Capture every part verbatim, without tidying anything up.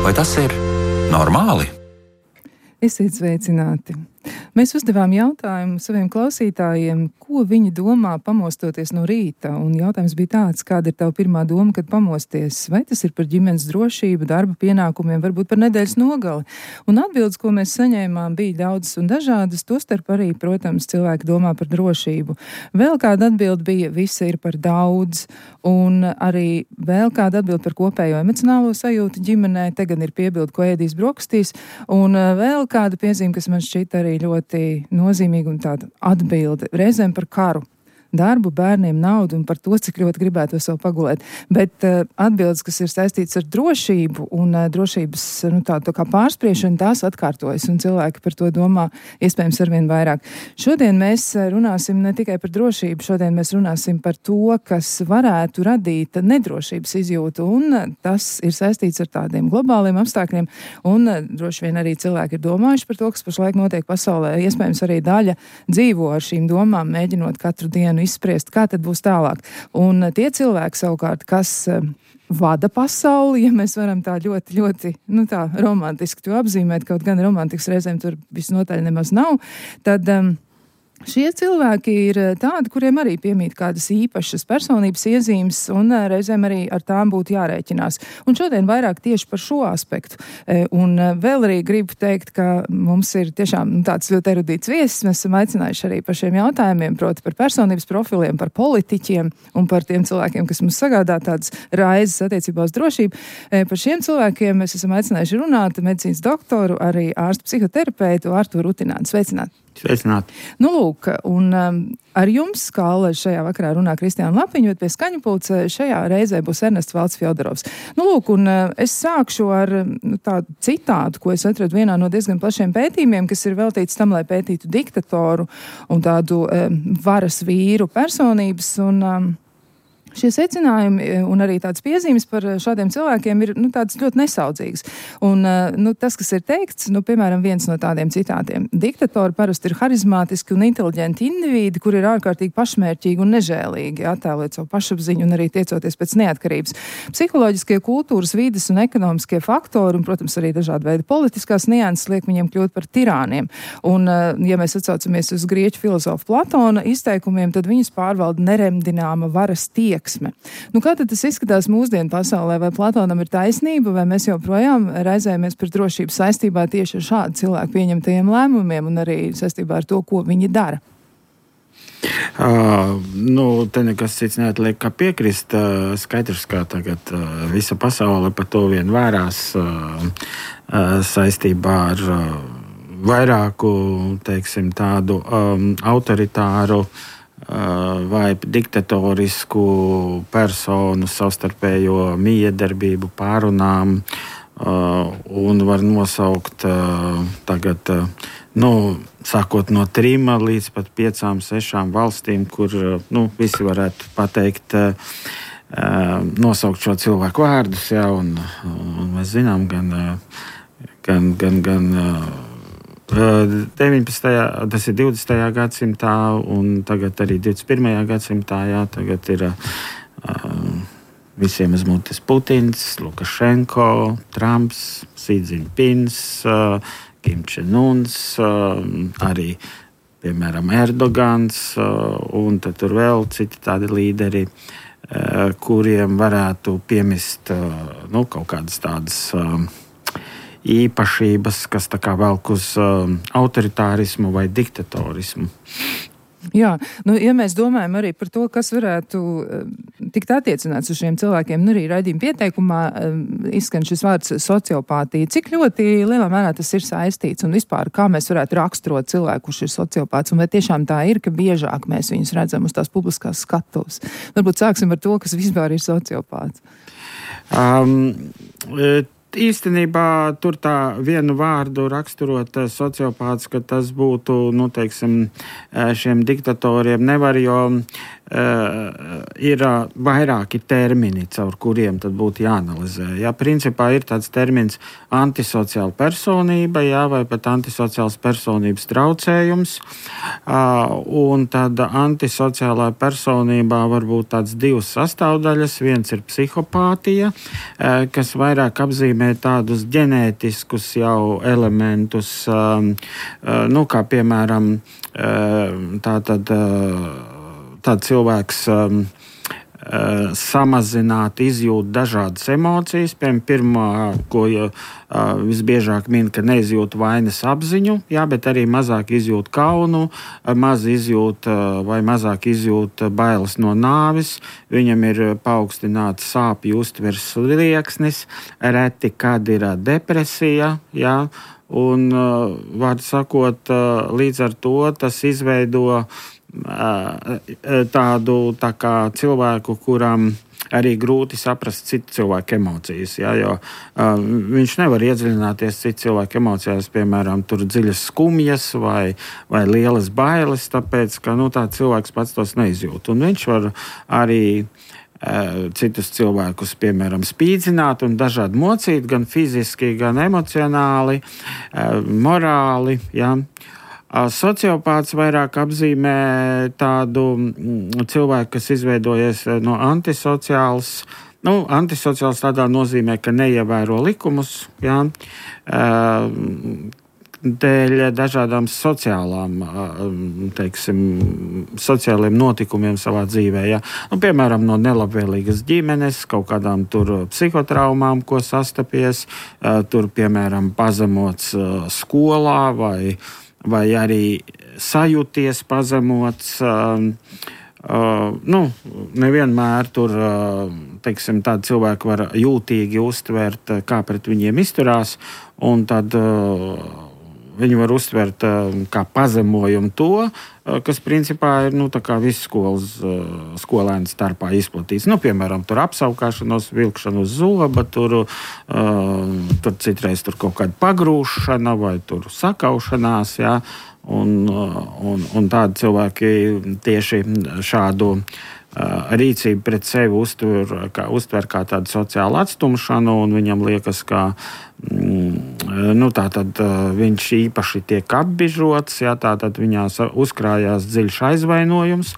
Vai tas ir normāli? Esiet sveicināti! Mēs uzdevām jautājumu saviem klausītājiem, ko viņi domā pamostoties no rīta. Un jautājums bija tāds, kāda ir tava pirmā doma, kad pamosties? Vai tas ir par ģimenes drošību, darba pienākumiem, varbūt par nedēļas nogali? Un atbildes, ko mēs saņēmām, bija daudzas un dažādas, tostarp arī, protams, cilvēki domā par drošību. Vēl kāda atbilde bija, visa ir par daudz, un arī vēl kāda atbilde par kopējo emocionālo sajūtu ģimenē, te gan ir piebilde, ko ēdīs brokastīs, un vēl kāda piezīme, kas man šķita arī ļoti nozīmīga un tāda atbilde reizēm par karu. Darbu, bērniem, naudu un par to, cik ļoti gribētu sev pagulēt. Bet uh, atbildes, kas ir saistīts ar drošību un uh, drošības nu, tā, tā kā pārspriešanu, tās atkārtojas un cilvēki par to domā iespējams arvien vairāk. Šodien mēs runāsim ne tikai par drošību, šodien mēs runāsim par to, kas varētu radīt nedrošības izjūtu, un uh, tas ir saistīts ar tādiem globāliem apstākļiem, un uh, droši vien arī cilvēki ir domājuši par to, kas pašlaik notiek pasaulē. Iespējams arī daļa dzīvo ar šīm domām, mēģinot katru dienu izspriest, kā tad būs tālāk. Un tie cilvēki savukārt, kas uh, vada pasauli, ja mēs varam tā ļoti, ļoti, nu tā, romantiski to apzīmēt, kaut gan romantikas reizēm tur visnotaļ nemaz nav, tad um, šie cilvēki ir tādi, kuriem arī piemīt kādas īpašas personības iezīmes, un reizēm arī ar tām būtu jārēķinās. Un šodien vairāk tieši par šo aspektu. Un vēl arī gribu teikt, ka mums ir tiešām tāds ļoti erudīts viesis. Mēs esam aicinājuši arī par šiem jautājumiem, proti par personības profiliem, par politiķiem un par tiem cilvēkiem, kas mums sagādā tādas raizes attiecībā uz drošību. Par šiem cilvēkiem mēs esam aicinājuši runāt medicīnas doktoru, arī ārstu psihoterapeitu Arturu Rutināni. Sveicināti! Sveicināt. Nu, lūk, un um, ar jums, kā alaži šajā vakarā runā Kristiāna Lapiņa, bet pie skaņu pulca šajā reizē būs Ernests Valds Fjodorovs. Nu, lūk, un uh, es sākšu ar nu, tādu citātu, ko es atradu vienā no diezgan plašiem pētījumiem, kas ir veltīts tam, lai pētītu diktatoru un tādu um, varas vīru personības, un um, šie secinājumi un arī tādas piezīmes par šādiem cilvēkiem ir nu, tādas ļoti nesaudzīgas. Un nu, tas, kas ir teikts, nu, piemēram, viens no tādiem citātiem. Diktatori parasti ir harizmātiski un inteliģenti indivīdi, kuri ir ārkārtīgi pašmērķīgi un nežēlīgi, attēlot savu pašapziņu un arī tiecoties pēc neatkarības. Psiholoģiskie, kultūras, vides un ekonomiskie faktori, un, protams, arī dažādi veidi politiskās nianses liek viņiem kļūt par tirāniem. Un, ja mēs atsaucamies uz grieķu filozofu Platona izteikumiem, tad viņus pārvalda neremdināma varas tiek. Nu, kā tad tas izskatās mūsdienu pasaulē? Vai Platonam ir taisnība, vai mēs joprojām raizējamies par drošību saistībā tieši ar šādu cilvēku pieņemtajiem lēmumiem un arī saistībā ar to, ko viņi dara? Uh, nu, te nekas cits neatliek, kā piekrist. Uh, skaidrs, kā tagad uh, visa pasaule par to vien vērās uh, uh, saistībā ar uh, vairāku, teiksim, tādu um, autoritāru vai diktatorisku personu savstarpējo miedarbību pārunām, un var nosaukt tagad, nu, sākot no trim līdz pat piecām, sešām valstīm, kur, nu, visi varētu pateikt, nosaukt šo cilvēku vārdus, jā, un, un mēs zinām gan, gan, gan, gan deviņpadsmitajā tas ir divdesmitajā gadsimtā, un tagad arī divdesmit pirmajā gadsimtā, jā, tagad ir uh, visiem uz mutes Putins, Lukašenko, Trumps, Xi Jinpings, uh, Kim Čen-uns, uh, arī, piemēram, Erdogans, uh, un tad tur vēl citi tādi līderi, uh, kuriem varētu piemist uh, nu, kaut kādas tādas uh, īpašības, kas tā kā velk uz um, autoritārismu vai diktatorismu. Jā, nu, ja mēs domājam arī par to, kas varētu uh, tikt attiecināts uz šiem cilvēkiem, nu arī raidījuma pieteikumā uh, izskan šis vārds sociopātija. Cik ļoti lielā mērā tas ir saistīts un vispār kā mēs varētu raksturot cilvēku, kurš ir sociopāts, un vai tiešām tā ir, ka biežāk mēs viņus redzam uz tās publiskās skatuves? Varbūt sāksim ar to, kas vispār ir sociopāts. Um, et... Īstenībā tur tā vienu vārdu raksturot sociopāts, ka tas būtu, nu, teiksim, šiem diktatoriem nevar, jo ir vairāki termini, caur kuriem tad būtu jāanalizē. Jā, principā ir tāds termins antisociāla personība, jā, vai pat antisociāls personības traucējums. Un tad antisociālā personībā var būt tāds divas sastāvdaļas. Viens ir psihopātija, kas vairāk apzīmē tādus ģenētiskus jau elementus, nu, kā piemēram tātad tāds cilvēks um, uh, samazināt, izjūt dažādas emocijas. Piemēram, pirmā, ko uh, visbiežāk min, ka neizjūt vainas apziņu, jā, bet arī mazāk izjūt kaunu, maz izjūt uh, vai mazāk izjūt bailes no nāves. Viņam ir paaugstināts sāpju uztveres slieksnis, reti, kad ir depresija, jā, un, uh, var sakot, uh, līdz ar to tas izveido tādu tā kā cilvēku, kuram arī grūti saprast citu cilvēku emocijas, jā, jo uh, viņš nevar iedziļināties citu cilvēku emocijās, piemēram, tur dziļas skumjas vai, vai lielas bailes, tāpēc, ka nu, tā cilvēks pats tos neizjūt. Un viņš var arī uh, citus cilvēkus, piemēram, spīdzināt un dažādi mocīt, gan fiziski, gan emocionāli, uh, morāli, jā. Sociopāts vairāk apzīmē tādu cilvēku, kas izveidojies no antisociāls. Nu, antisociāls tādā nozīmē, ka neievēro likumus, jā, dēļ dažādām sociālām, teiksim, sociāliem notikumiem savā dzīvē. Jā. Nu, piemēram, no nelabvēlīgas ģimenes, kaut kādām tur psihotraumām, ko sastapies, tur, piemēram, pazemots skolā vai vai arī sajūties pazemots, uh, uh, nu, nevienmēr tur, uh, teiksim, tādi cilvēki var jūtīgi uztvert, kā pret viņiem izturās, un tad uh, viņi var uztvert uh, kā pazemojumu to, uh, kas principā ir, nu, tā kā visu skolas uh, skolēnu starpā izplatīts. Nu, piemēram, tur apsaukāšanos, vilkšana uz zoba, tur, uh, tur citreiz tur kaut kāda pagrūšana vai tur sakaušanās, jā, un, uh, un, un tādi cilvēki tieši šādu uh, rīcību pret sevi uztver kā, uztver kā tādu sociālu atstumšanu, un viņam liekas, ka Nu, tātad viņš īpaši tiek apbižots, jā, tātad viņā uzkrājās dziļš aizvainojums,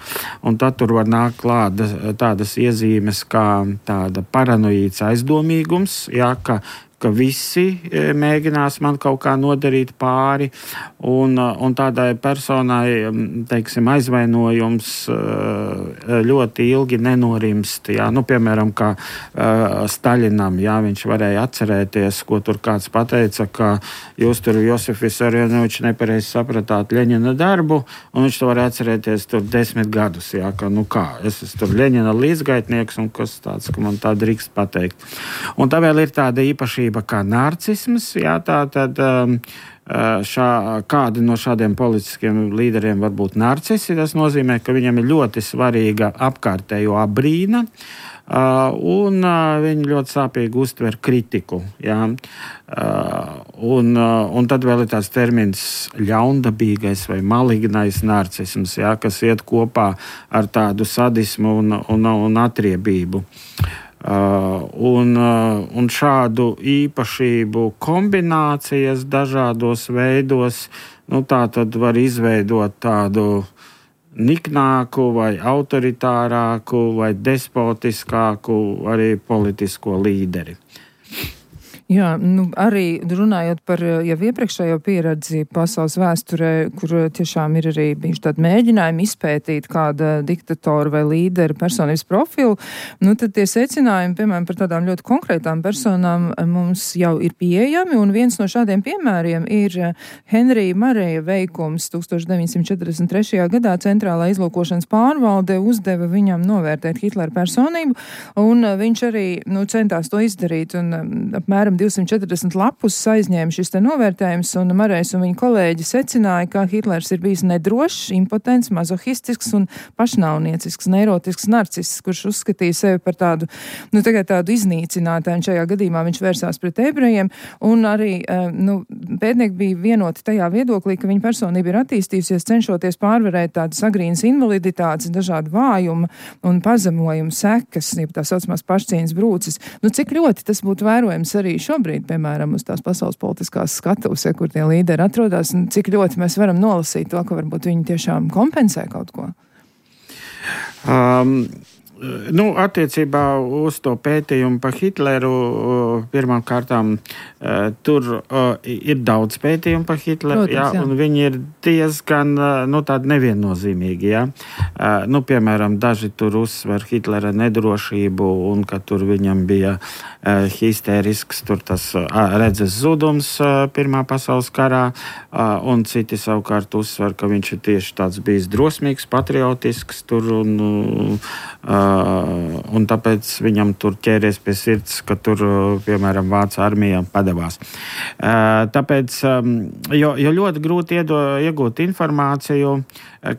un tad tur var nākt klāt tādas iezīmes kā tāda paranoīds aizdomīgums, jā, ka ka visi mēģinās man kaut kā nodarīt pāri, un, un tādai personai, teiksim, aizvainojums ļoti ilgi nenorimst. Jā. Nu, piemēram, kā Staļinam, jā, viņš varēja atcerēties, ko tur kāds pateica, ka jūs tur Josif Vissarionovičs nepareizi sapratāt Ļeņina darbu, un viņš to var atcerēties tur desmit gadus, jā, ka nu kā, es esmu tur Ļeņina līdzgaitnieks, un kas tāds, ka man tā drīkst pateikt. Un tā vēl ir tāda īpašība kā narcisms, jā, tā tad šā, kādi no šādiem politiskiem līderiem var būt narcisi. Tas nozīmē, ka viņam ir ļoti svarīga apkārtējo abrīna, un viņi ļoti sāpīgi uztver kritiku, jā. Un, un tad vēl ir tāds termins ļaundabīgais vai malignais narcisms, jā, kas iet kopā ar tādu sadismu un, un, un atriebību. Uh, un, uh, un šādu īpašību kombinācijas dažādos veidos, nu, tā tad var izveidot tādu niknāku vai autoritārāku vai despotiskāku arī politisko līderi. Jā, nu, arī runājot par jau iepriekšējo pieredzi pasaules vēsturē, kur tiešām ir arī bijuši tādi mēģinājumi izpētīt kāda diktatora vai līdera personības profilu, nu tad tie secinājumi, piemēram, par tādām ļoti konkrētām personām mums jau ir pieejami, un viens no šādiem piemēriem ir Henrija Mareja veikums. tūkstoš deviņsimt četrdesmit trešajā gadā Centrālā izlūkošanas pārvalde uzdeva viņam novērtēt Hitlera personību, un viņš arī, nu, centās to izdarīt, un apmēram divsimt četrdesmit lapus aizņēma šis te novērtējums, un Marais un viņa kolēģi secināja, ka Hitlers ir bijis nedrošs, impotents, mazohistisks un pašnāvniecisks, neirotisks narciss, kurš uzskatīja sevi par tādu, nu, tagad tādu iznīcinātāju, un šajā gadījumā viņš vērsās pret ebrejiem, un arī, nu, pētnieki bija vienoti tajā viedoklī, ka viņa personība ir attīstījusies, cenšoties pārvarēt tādas agrīnas invaliditātes, dažādu vājumu un pazemojumu sekas, jeb tā saucamās pašcieņas brūces. Nu, cik ļoti tas būtu vērojams arī šobrīd, piemēram, uz tās pasaules politiskās skatuves, ja, kur tie līderi atrodas, un cik ļoti mēs varam nolasīt to, ka varbūt viņi tiešām kompensē kaut ko? Um. Nu, attiecībā uz to pētījumu par Hitleru, pirmām kārtām tur ir daudz pētījumu par Hitleru, Protams, jā, jā. Un viņi ir diezgan, nu, tādi neviennozīmīgi, jā. Nu, piemēram, daži tur uzsver Hitlera nedrošību un ka tur viņam bija histērisks, tur tas redzes zudums Pirmā pasaules karā, un citi savukārt uzsver, ka viņš ir tieši tāds bijis drosmīgs, patriotisks tur un Uh, un tāpēc viņam tur ķēries pie sirds, ka tur, piemēram, Vācu armija padevās. Uh, tāpēc, um, jo, jo ļoti grūti iedo, iegūt informāciju,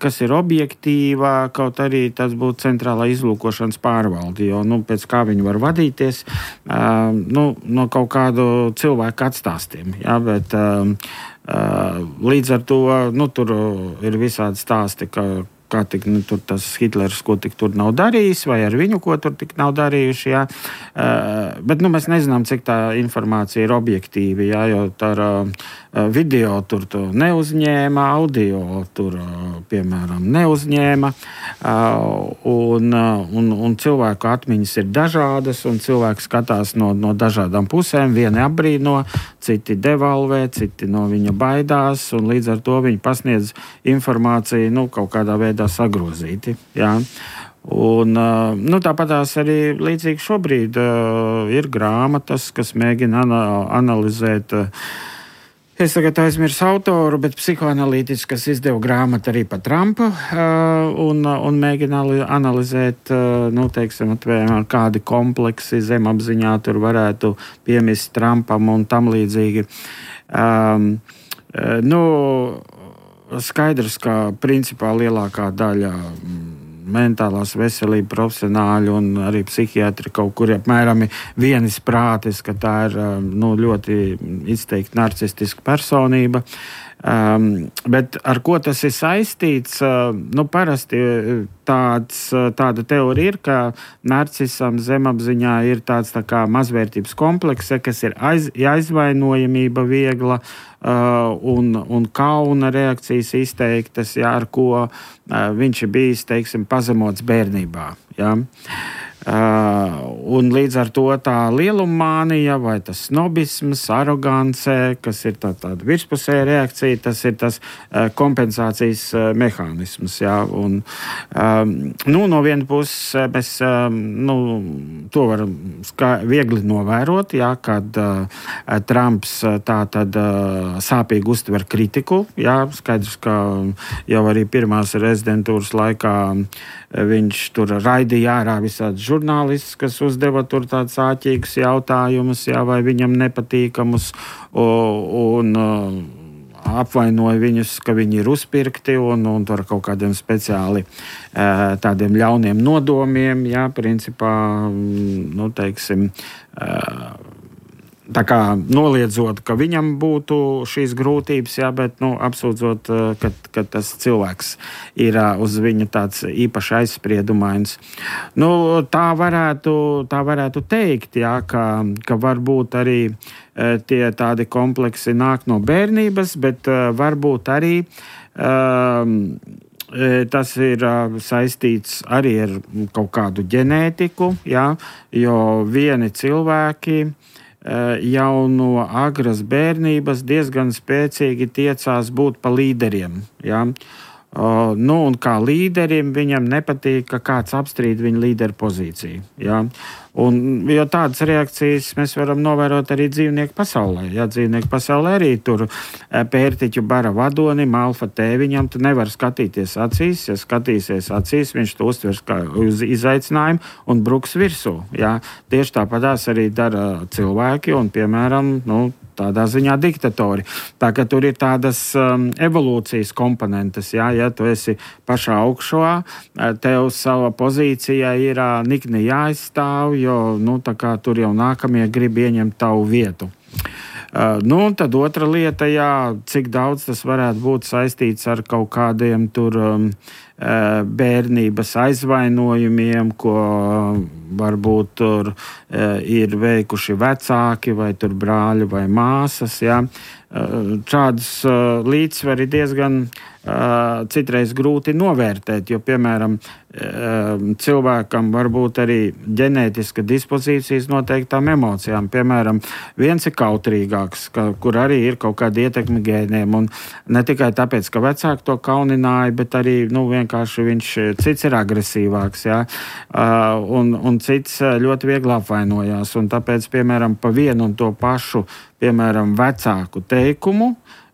kas ir objektīva, kaut arī tas būtu centrālā izlūkošanas pārvalde, jo, nu, pēc kā viņi var vadīties, uh, nu, no kaut kādu cilvēku atstāstiem, jā, bet uh, uh, līdz ar to, nu, tur ir visādi stāsti, ka kā tik, nu, tur tas Hitlers, ko tik tur nav darījis, vai ar viņu, ko tur tik nav darījuši, jā. Uh, bet, nu, mēs nezinām, cik tā informācija ir objektīva, jā, jo tā uh, video tur to neuzņēma, audio tur, uh, piemēram, neuzņēma, uh, un, uh, un, un cilvēku atmiņas ir dažādas, un cilvēki skatās no, no dažādām pusēm, vieni apbrīno, citi devalvē, citi no viņa baidās, un līdz ar to viņi pasniedz informāciju, nu, kaut kādā veidā sagrozīti, jā. Un, nu, tāpatās arī līdzīgi šobrīd uh, ir grāmatas, kas mēģina ana- analizēt, uh, es tagad aizmirsu autoru, bet psihoanalītiski, kas izdeva grāmatu arī par Trumpu, uh, un, un mēģina analizēt, uh, nu, teiksim, atvēr, kādi kompleksi zemapziņā tur varētu piemist Trumpam un tam līdzīgi. Um, uh, nu, Skaidrs, ka principā lielākā daļa mentālās veselības profesionāļi un arī psihiatri kaut kur apmēram vienis prātis, ka tā ir, nu, ļoti izteikti narcistiska personība. Um, bet ar ko tas ir saistīts? Uh, nu, parasti tāds, tāda teorija ir, ka narcisam zemapziņā ir tāds tā kā mazvērtības komplekse, kas ir aiz, aizvainojamība viegla uh, un, un kauna reakcijas izteiktas, jā, ar ko uh, viņš ir bijis, teiksim, pazemots bērnībā. Jā. Uh, un līdz ar to tā lielumānija vai tas snobisms, arogance, kas ir tā, tāda virspusēja reakcija, tas ir tas uh, kompensācijas uh, mehānisms. Jā, un, um, nu, no vienas puses mēs um, nu, to varam ska- viegli novērot, jā, kad uh, Trumps uh, tā tad uh, sāpīgi uztver kritiku. Jā, skaidrs, ka jau arī pirmās rezidentūras laikā viņš tur raidīja ārā visādi žurnālistus, kas uzdeva tur tādus āķīgus jautājumus, jā, vai viņam nepatīkamus, un, un apvainoja viņus, ka viņi ir uzpirkti un, un tur kaut kādiem speciāli tādiem ļauniem nodomiem, jā, principā, nu, teiksim, tā kā noliedzot, ka viņam būtu šīs grūtības, jā, bet, nu, apsūdzot, ka, ka tas cilvēks ir uz viņu tāds īpaši aizspriedumains. Nu, tā varētu, tā varētu teikt, jā, ka, ka varbūt arī tie tādi kompleksi nāk no bērnības, bet varbūt arī um, tas ir saistīts arī ar kaut kādu ģenētiku, jā, jo vieni cilvēki jau no agras bērnības diezgan spēcīgi tiecās būt pa līderiem. Ja? Uh, nu, un kā līderim viņam nepatīk, ka kāds apstrīd viņa līderu pozīciju. Ja? Un, jo tādas reakcijas mēs varam novērot arī dzīvnieku pasaulē. Ja? Dzīvnieku pasaulē arī tur pērtiķu bara vadonim, alfa tēviņam, tu nevar skatīties acīs. Ja skatīsies acīs, viņš to uztvers kā uz izaicinājumu un bruks virsū. Ja? Tieši tāpatās arī dara cilvēki un, piemēram, nu, tādā ziņā diktatori. Tā ka tur ir tādas um, evolūcijas komponentes, jā, ja tu esi pašā augšā, tev sava pozīcija ir uh, nikni jāizstāv, jo, nu, tā kā tur jau nākamie grib ieņemt tavu vietu. Uh, nu, un tad otra lieta, jā, cik daudz tas varētu būt saistīts ar kaut kādiem tur um, uh, bērnības aizvainojumiem, ko uh, varbūt tur uh, ir veikuši vecāki vai tur brāļi vai māsas, jā. Uh, šādas uh, līdzsvari diezgan uh, citreiz grūti novērtēt, jo, piemēram, uh, cilvēkam var būt arī ģenētiska dispozīcijas noteiktām emocijām. Piemēram, viens ir kautrīgāks, ka, kur arī ir kaut kāda ietekme gēniem, un ne tikai tāpēc, ka vecāki to kaunināja, bet arī, nu, vienkārši viņš cits ir agresīvāks, jā, uh, un, un cits ļoti viegli apvainojās, un tāpēc, piemēram, pa vienu un to pašu, piemēram, vecāku teikumu,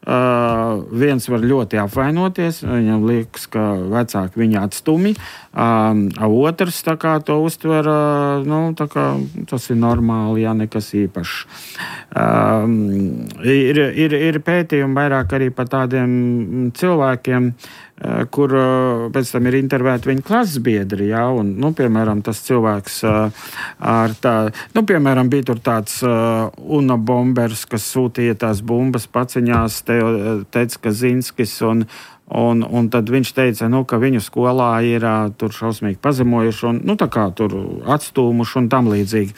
Uh, viens var ļoti apvainoties, viņam liekas, ka vecāki viņu atstumi, um, otrs tā kā to uztver, uh, nu, tā kā tas ir normāli, jā, nekas īpašs. Um, ir, ir, ir pētījumi vairāk arī par tādiem cilvēkiem, uh, kur uh, pēc tam ir intervēti viņa klases biedri, jā, un, nu, piemēram, tas cilvēks uh, ar tā, nu, piemēram, bija tur tāds uh, unabombers, kas sūtīja tās bumbas paciņās, te teica Kazinskis, un, un, un tad viņš teica, nu, ka viņu skolā ir uh, tur šausmīgi pazemojuši un, nu, tā kā tur atstūmuši un tam līdzīgi.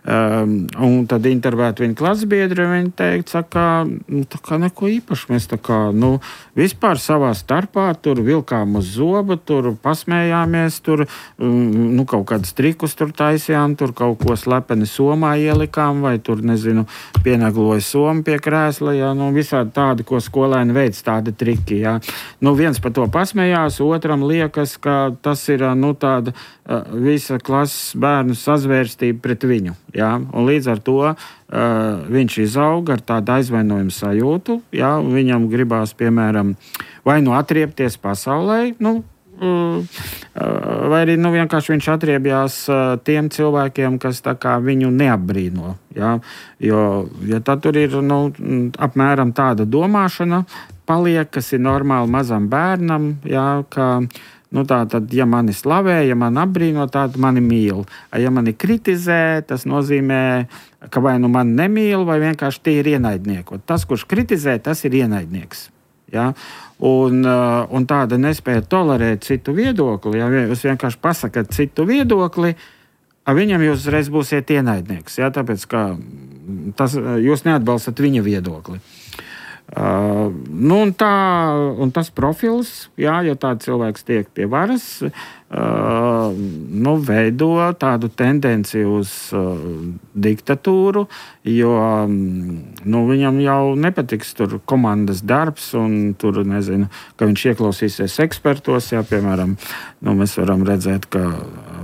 Um, un tad intervēt viņa klasbiedri, viņa teica, saka, nu, tā kā neko īpaši, mēs tā kā, nu, vispār savā starpā tur vilkām uz zobu, tur pasmējāmies, tur, um, nu, kaut kādas trikus tur taisījām, tur kaut ko slepeni somā ielikām, vai tur, nezinu, pienagloja somu pie krēsla, jā, nu, visādi tādi, ko skolēni veids, tādi triki, jā. Nu, viens par to pasmējās, otram liekas, ka tas ir, nu, tāda uh, visa klases bērnu sazvērstība pret viņu, jā, un līdz ar to uh, viņš izauga ar tādu aizvainojumu sajūtu, jā, viņam gribās, piemēram, vai nu atriepties pasaulē, nu, vai arī, nu, vienkārši viņš atriebjās tiem cilvēkiem, kas tā kā viņu neapbrīno, jā, jo, ja tad tur ir, nu, apmēram tāda domāšana paliek, kas ir normāli mazam bērnam, jā, ka, nu, tā tad, ja mani slavē, ja mani apbrīno, tad mani mīl. Ja mani kritizē, tas nozīmē, ka vai nu mani nemīl, vai vienkārši tie ir ienaidnieki. Tas, kurš kritizē, tas ir ienaidnieks. Ja? Un, un tāda nespēja tolerēt citu viedokli, ja jūs vienkārši pasakat citu viedokli, viņam jūs uzreiz būsiet ienaidnieks, ja? Tāpēc, ka tas, jūs neatbalstat viņa viedokli. Uh, nu un, tā, un tas profils, jā, ja tāds cilvēks tiek pie varas, uh, nu, veido tādu tendenci uz uh, diktatūru, jo um, nu, viņam jau nepatiks tur komandas darbs un tur, nezinu, ka viņš ieklausīsies ekspertos, jā, piemēram, nu, mēs varam redzēt, ka,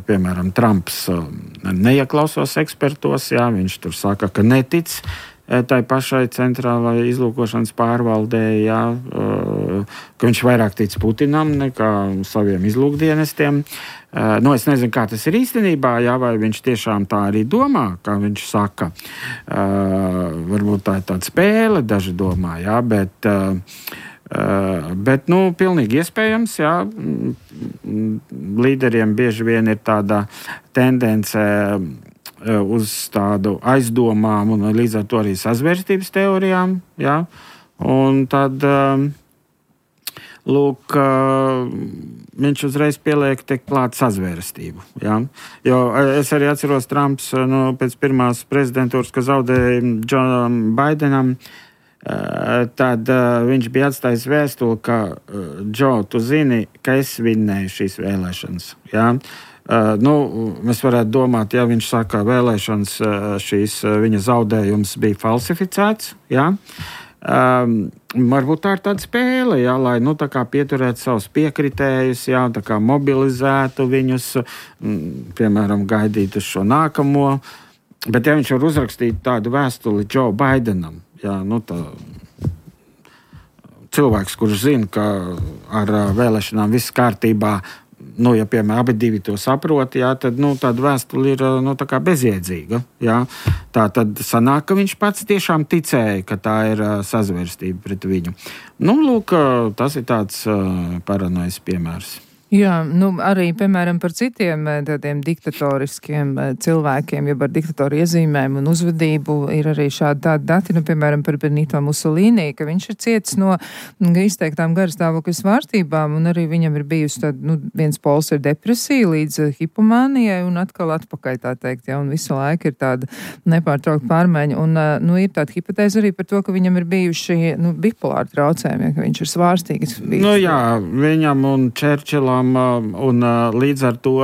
piemēram, Trumps uh, neieklausās ekspertos, jā, viņš tur saka, ka netic tai pašai centrālai izlūkošanas pārvaldē, jā, ka viņš vairāk tic Putinam nekā saviem izlūkdienestiem. Nu, es nezinu, kā tas ir īstenībā, jā, vai viņš tiešām tā arī domā, kā viņš saka. Varbūt tā ir tāda spēle, daži domā, jā, bet, bet nu, pilnīgi iespējams, jā, līderiem bieži vien ir tāda tendence uz tādu aizdomām un līdz ar to arī sazvērstības teorijām, jā, un tad, lūk, viņš uzreiz pieliek te klāt sazvērstību, jā, jo es arī atceros Trumps, nu, pēc pirmās prezidentūras, ka zaudēja Džonam Baidenam, tad viņš bija atstājis vēstuli, ka, Džo, tu zini, ka es vinnēju šīs vēlēšanas, jā. Uh, nu, mēs varētu domāt, ja viņš saka, vēlēšanas šīs viņa zaudējums bija falsificēts, jā, um, varbūt tā ir tāda spēle, jā, lai nu, tā kā pieturētu savus piekritējus, jā, tā kā mobilizētu viņus, m, piemēram, gaidīt uz šo nākamo. Bet ja viņš var uzrakstīt tādu vēstuli Joe Bidenam, jā, nu tā cilvēks, kurš zina, ka ar vēlēšanām viss kārtībā, nu, ja, piemēram, abi divi to saprot, jā, tad, nu, tāda vēstule ir, nu, tā kā bezjēdzīga, jā. Tā tad sanāk, ka viņš pats tiešām ticēja, ka tā ir sazvērstība pret viņu. Nu, lūk, tas ir tāds paranojas piemērs. Jā, nu arī, piemēram, par citiem tādiem diktatoriskiem cilvēkiem, jeb ar diktatoru iezīmēm un uzvedību ir arī šādi tādi dati, nu, piemēram, par Benito Mussolini, ka viņš ir cietis no izteiktām garstāvokļa svārstībām, un arī viņam ir bijusi tāda, nu, viens pols ir depresija līdz hipomānijai un atkal atpakaļ, tā teikt, ja, un visu laiku ir tāda nepārtraukta pārmaiņa, un, nu, ir tāda hipotēze arī par to, ka viņam ir bijuši, nu, bipolāri traucējumi, ja, ka viņš ir svārstīgs. Nu, jā, viņam un Čerčilam un līdz ar to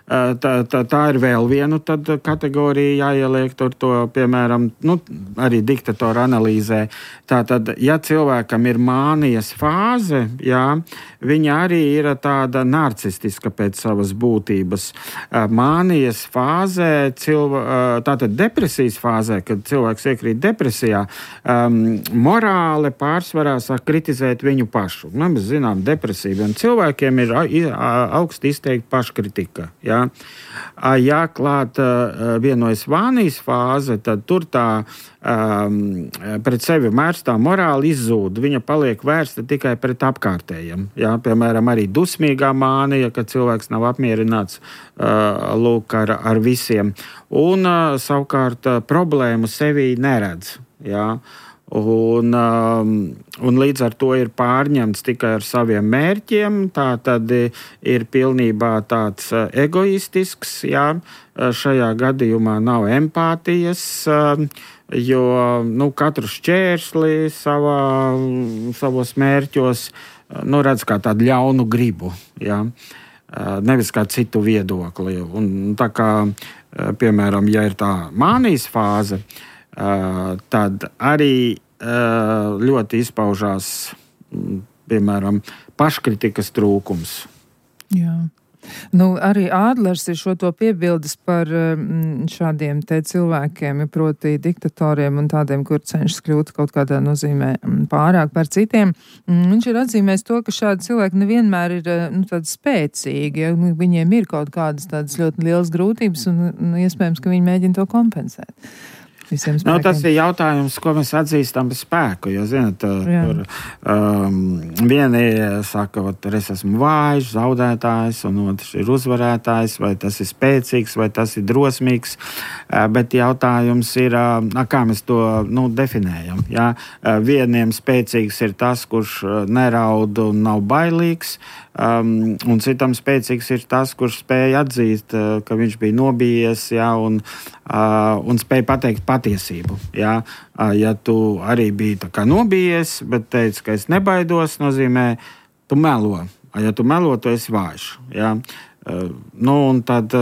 tā, tā, tā ir vēl viena kategorija jāieliek tur to, piemēram, nu, arī diktatora analīzē. Tātad, ja cilvēkam ir mānijas fāze, jā, viņa arī ir tāda narcistiska pēc savas būtības. Mānijas fāzē, cilva, tātad depresijas fāzē, kad cilvēks iekrīt depresijā, um, morāli pārsvarā sāk kritizēt viņu pašu. Mēs zinām, depresīviem cilvēkiem ir augsti izteikti paškritika. Ja, ja klāt vienojas vānijas fāze, tad tur tā um, pret sevi mērstā morāli izzūd. Viņa paliek vērsta tikai pret apkārtējiem. Ja, piemēram, arī dusmīgā mānija, kad cilvēks nav apmierināts uh, lūk, ar, ar visiem. Un uh, savukārt uh, problēmu sevī neredz. Ja. Un, um, un līdz ar to ir pārņemts tikai ar saviem mērķiem, tā tad ir pilnībā tāds egoistisks, jā, šajā gadījumā nav empātijas, jo, nu, katru šķērsli savā, savos mērķos, nu, redz kā tādu ļaunu gribu, jā, nevis kā citu viedokli. Un tā kā, piemēram, ja ir tā mānijas fāze, Uh, tad arī uh, ļoti izpaužās, piemēram, paškritikas trūkums. Jā. Nu, arī Ādlers ir šo to piebildes par šādiem te cilvēkiem, proti diktatoriem un tādiem, kur cenšas kļūt kaut kādā nozīmē pārāk par citiem. Viņš ir atzīmējis to, ka šādi cilvēki nevienmēr ir, nu, tādi spēcīgi, ja viņiem ir kaut kādas tādas ļoti lielas grūtības un, nu, iespējams, ka viņi mēģina to kompensēt. Nu, tas ir jautājums, ko mēs atzīstam par spēku. Jo, zināt, tur um, vieni saka, ka es esmu vājš, zaudētājs, un otrs ir uzvarētājs, vai tas ir spēcīgs, vai tas ir drosmīgs. Uh, bet jautājums ir, uh, kā mēs to, nu, definējam. Ja? Uh, vieniem spēcīgs ir tas, kurš neraud un nav bailīgs, um, un citam spēcīgs ir tas, kurš spēja atzīt, uh, ka viņš bija nobijies, ja, un, uh, un spēja pateikt patiesību. Ja, ja tu arī biji tā kā nobijies, bet teici, ka es nebaidos, nozīmē, tu melo. Ja tu melo, tu esi vājš. Ja. Nu, un tad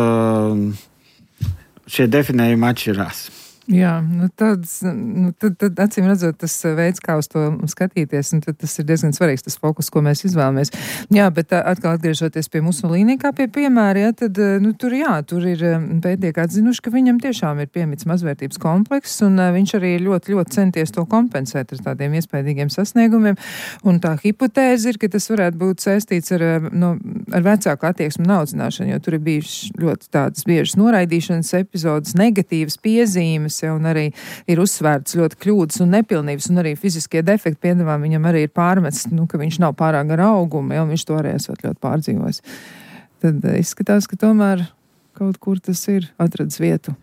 šie definējumi atšķirās. Jā, nu tāds, nu tad, tad acīm redzot, tas veids, kā uz to skatīties, un tad tas ir diezgan svarīgs, tas fokus, ko mēs izvēlamies. Jā, bet atkal atgriežoties pie Mussolini kā pie piemēra, ja, tad, nu, tur jā, tur ir pētnieki atzinuši, ka viņam tiešām ir piemīts mazvērtības komplekss, un viņš arī ļoti, ļoti centies to kompensēt ar tādiem iespējīgiem sasniegumiem, un tā hipotēze ir, ka tas varētu būt saistīts ar, nu, ar vecāku attieksmu un audzināšanu, jo tur ir bijušas ļoti tādas biežas noraidīšanas epizodes, negatīvas piezīmes, ja, un arī ir uzsvērts ļoti kļūdas un nepilnības, un arī fiziskie defekti, piedāvām viņam arī ir pārmests, nu, ka viņš nav pārāk ar augumu, ja, un viņš to arī esot ļoti pārdzīvojis. Tad izskatās, ka tomēr kaut kur tas ir atradis vietu.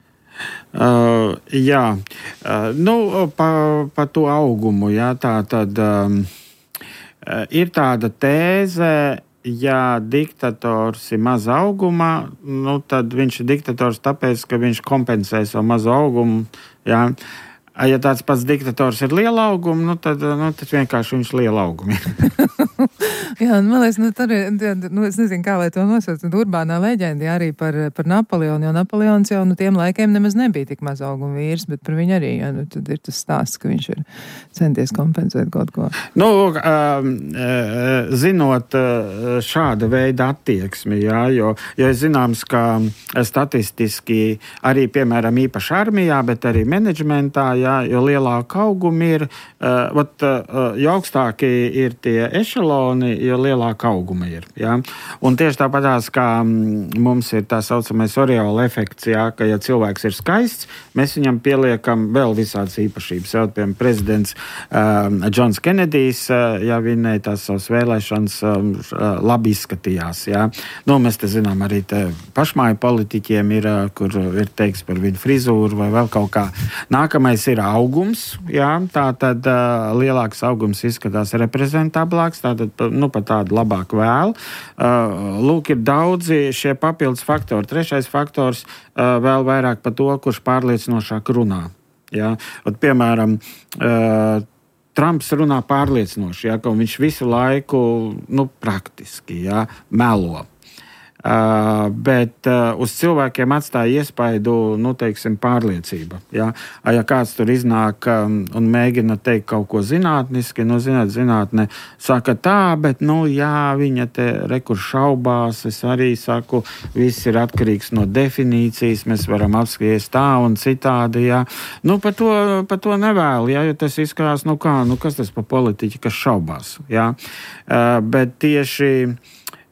Uh, jā, uh, nu, pa, pa to augumu, jā, tā tad um, ir tāda tēze, ja diktators ir maza augumā, nu, tad viņš ir diktators tāpēc, ka viņš kompensē savu mazu augumu. Jā. ja tāds pats diktators ir liela auguma, nu, tad, nu, tad vienkārši viņš liela auguma ir. Jā, man liekas, nu, tur ir, nu, es nezinu, kā lai to nosauc, urbānā leģenda arī par, par Napoleonu, jo Napoleons jau, nu, tiem laikiem nemaz nebija tik maz auguma vīrs, bet par viņu arī, jā, nu, tad ir tas stāsts, ka viņš ir centies kompensēt kaut ko. Nu, zinot šāda veida attieksmi, jā, jo, jo es zināms, ka statistiski arī, piemēram, īpaši armijā, bet arī menedžmentā, jā, jo lielāka auguma ir, vat, jo augstāki ir tie ešaloni, jo lielāka auguma ir. Ja? Un tieši tāpatās, kā mums ir tā saucamais Oriola efekts, ja? Ka, ja cilvēks ir skaists, mēs viņam pieliekam vēl visādas īpašības. Ja? Piemēram, prezidents um, Džons Kenedijs, uh, ja vinēja tās savas vēlēšanas, um, labi izskatījās. Ja? Nu, mēs te zinām, arī te pašmāju politiķiem ir, uh, kur ir teiks par viņu frizūru vai vēl kaut kā. Nākamais ir augums. Ja? Tā tad uh, lielāks augums izskatās reprezentablāks, tātad nu, pat tādu labāku vēlu. Uh, lūk, ir daudzi šie papildus faktori. Trešais faktors uh, vēl vairāk par to, kurš pārliecinošāk runā. Ja? Ot, piemēram, uh, Trumps runā pārliecinoši, ja? Ka viņš visu laiku, nu, praktiski, ja? Melo. Uh, bet uh, uz cilvēkiem atstāja iespaidu, nu, teiksim, pārliecība. Ja, ja kāds tur iznāk um, un mēģina teikt kaut ko zinātniski, nu, zināt, zinātne saka tā, bet, nu, jā, viņa te rekur šaubās, es arī saku, viss ir atkarīgs no definīcijas, mēs varam apskaties tā un citādi, jā. Nu, par to, par to nevēlu, jā, jo tas izskatās, nu, kā, nu, kas tas pa politiķi, kas šaubās, jā. Uh, bet tieši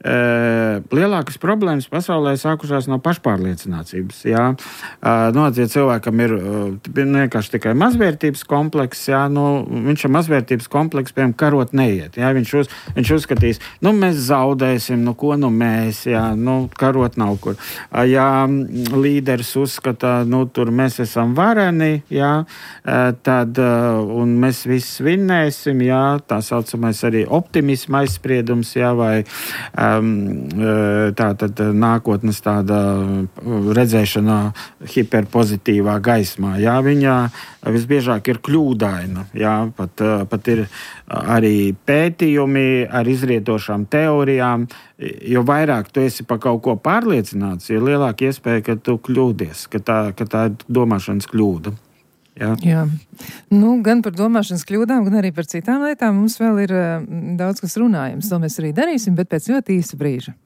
Uh, lielākas problēmas pasaulē sākušās no pašpārliecinācības. Jā. Uh, nu, ja cilvēkam ir uh, vienkārši tikai mazvērtības komplekss, jā, nu, viņš ar mazvērtības kompleksu, piemēram, karot neiet. Jā. Viņš, uz, viņš uzskatīs, nu, mēs zaudēsim, nu, ko nu mēs, jā, nu, karot nav kur. Uh, ja līderis uzskata, nu, tur mēs esam vareni, jā, uh, tad, uh, un mēs visi vinnēsim, jā, tā saucamais arī optimisma aizspriedums, jā, vai uh, tā tad nākotnes tāda redzēšana hiperpozitīvā gaismā. Jā, viņa visbiežāk ir kļūdaina. Jā, pat, pat ir arī pētījumi ar izrietošām teorijām. Jo vairāk tu esi par kaut ko pārliecināts, jo lielāka iespēja, ka tu kļūdies, ka tā, ka tā ir domāšanas kļūda. Jā. Jā. Nu, gan par domāšanas kļūdām, gan arī par citām lietām mums vēl ir uh, daudz kas runājams. To mēs arī darīsim, bet pēc ļoti īsa brīža.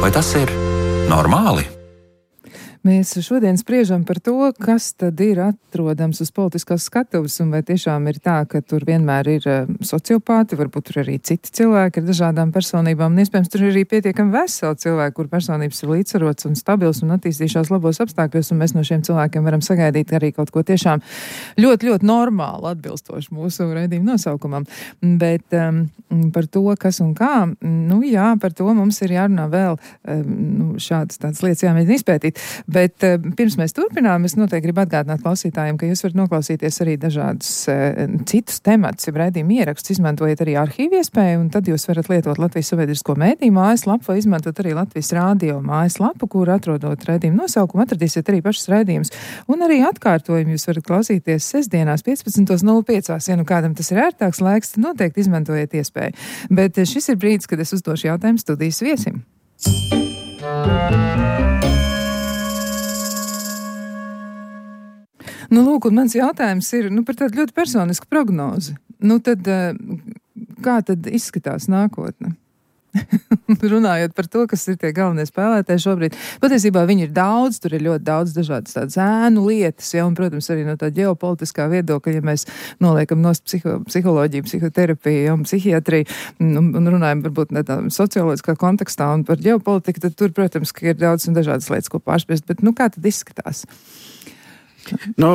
Vai tas ir normāli? Mēs šodien spriežam par to, kas tad ir atrodams uz politiskās skatuves, un vai tiešām ir tā, ka tur vienmēr ir sociopāti, varbūt tur arī citi cilvēki ar dažādām personībām, un iespējams tur ir arī pietiekami veseli cilvēki, kur personības ir līdzsvarots un stabils un attīstījušās labos apstākļos, un mēs no šiem cilvēkiem varam sagaidīt arī kaut ko tiešām ļoti, ļoti normāli atbilstoši mūsu raidījuma nosaukumam. Bet um, par to, kas un kā, nu jā, par to mums ir jārunā vēl um, nu, šādas tādas lietas jāmēģina izpētīt. Bet uh, pirms mēs turpinām, es noteikti gribu atgādināt klausītājiem, ka jūs varat noklausīties arī dažādus uh, citus tematus, ja raidījuma ierakstus, izmantojot arī arhīvu iespēju, un tad jūs varat lietot Latvijas sabiedrisko mēdīju mājaslapu vai izmantot arī Latvijas rādio mājaslapu, kur atrodot raidījumu nosaukumu, atradīsiet arī pašas raidījumus. Un arī atkārtojumu jūs varat klausīties sestdienās piecpadsmit nulle pieci. Ja nu kādam tas ir ērtāks laiks, tad noteikti izmantojiet iespēju. Bet šis ir brīdis, kad es uzdošu jautājumu studijas viesim. Nu, lūk, un mans jautājums ir nu, par tādu ļoti personisku prognozi. Nu, tad kā tad izskatās nākotne? Runājot par to, kas ir tie galvenie spēlētāji šobrīd. Patiesībā viņi ir daudz, tur ir ļoti daudz dažādas tādas ēnu lietas, ja, un, protams, arī no tā ģeopolitiskā viedokļa, ja mēs noliekam nost psiho, psiholoģiju, psihoterapiju ja, un psihiatriju, un, un runājam varbūt tādā socioloģiskā kontekstā un par ģeopolitiku, tad tur, protams, ka ir daudz un dažādas lietas, ko pārspriest, bet nu kā tad izskatās? Nu,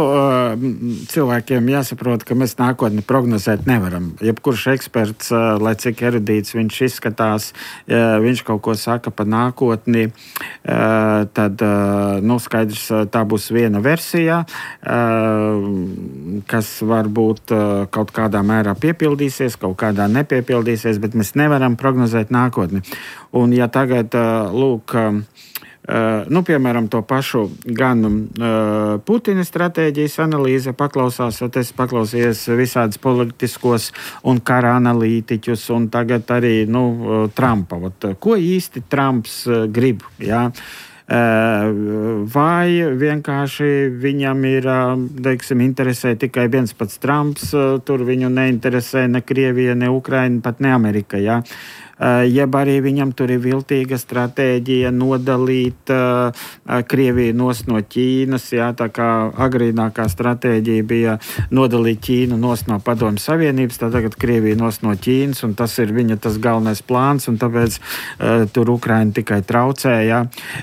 cilvēkiem jāsaprot, ka mēs nākotni prognozēt nevaram. Jebkurš eksperts, lai cik erudīts viņš izskatās, viņš kaut ko saka par nākotni, tad, nu, skaidrs, tā būs viena versija, kas varbūt kaut kādā mērā piepildīsies, kaut kādā nepiepildīsies, bet mēs nevaram prognozēt nākotni. Un ja tagad, lūk, Uh, nu, piemēram, to pašu gan uh, Putina stratēģijas analīze paklausās, un es paklausījos visādus politiskos un kara analītiķus, un tagad arī, nu, Trumpa. Ot, ko īsti Trumps uh, grib, jā? Uh, vai vienkārši viņam ir, uh, teiksim, interesē tikai viens pats Trumps, uh, tur viņu neinteresē ne Krievija, ne Ukraina, pat ne Amerika, jā? Uh, jeb arī viņam tur ir viltīga stratēģija nodalīt uh, Krieviju nos no Ķīnas, jā, tā kā agrīnākā stratēģija bija nodalīt Ķīnu nos no Padomju Savienības, tā tagad Krievija nos no Ķīnas, un tas ir viņa tas galvenais plāns, un tāpēc uh, tur Ukraina tikai traucē, jā.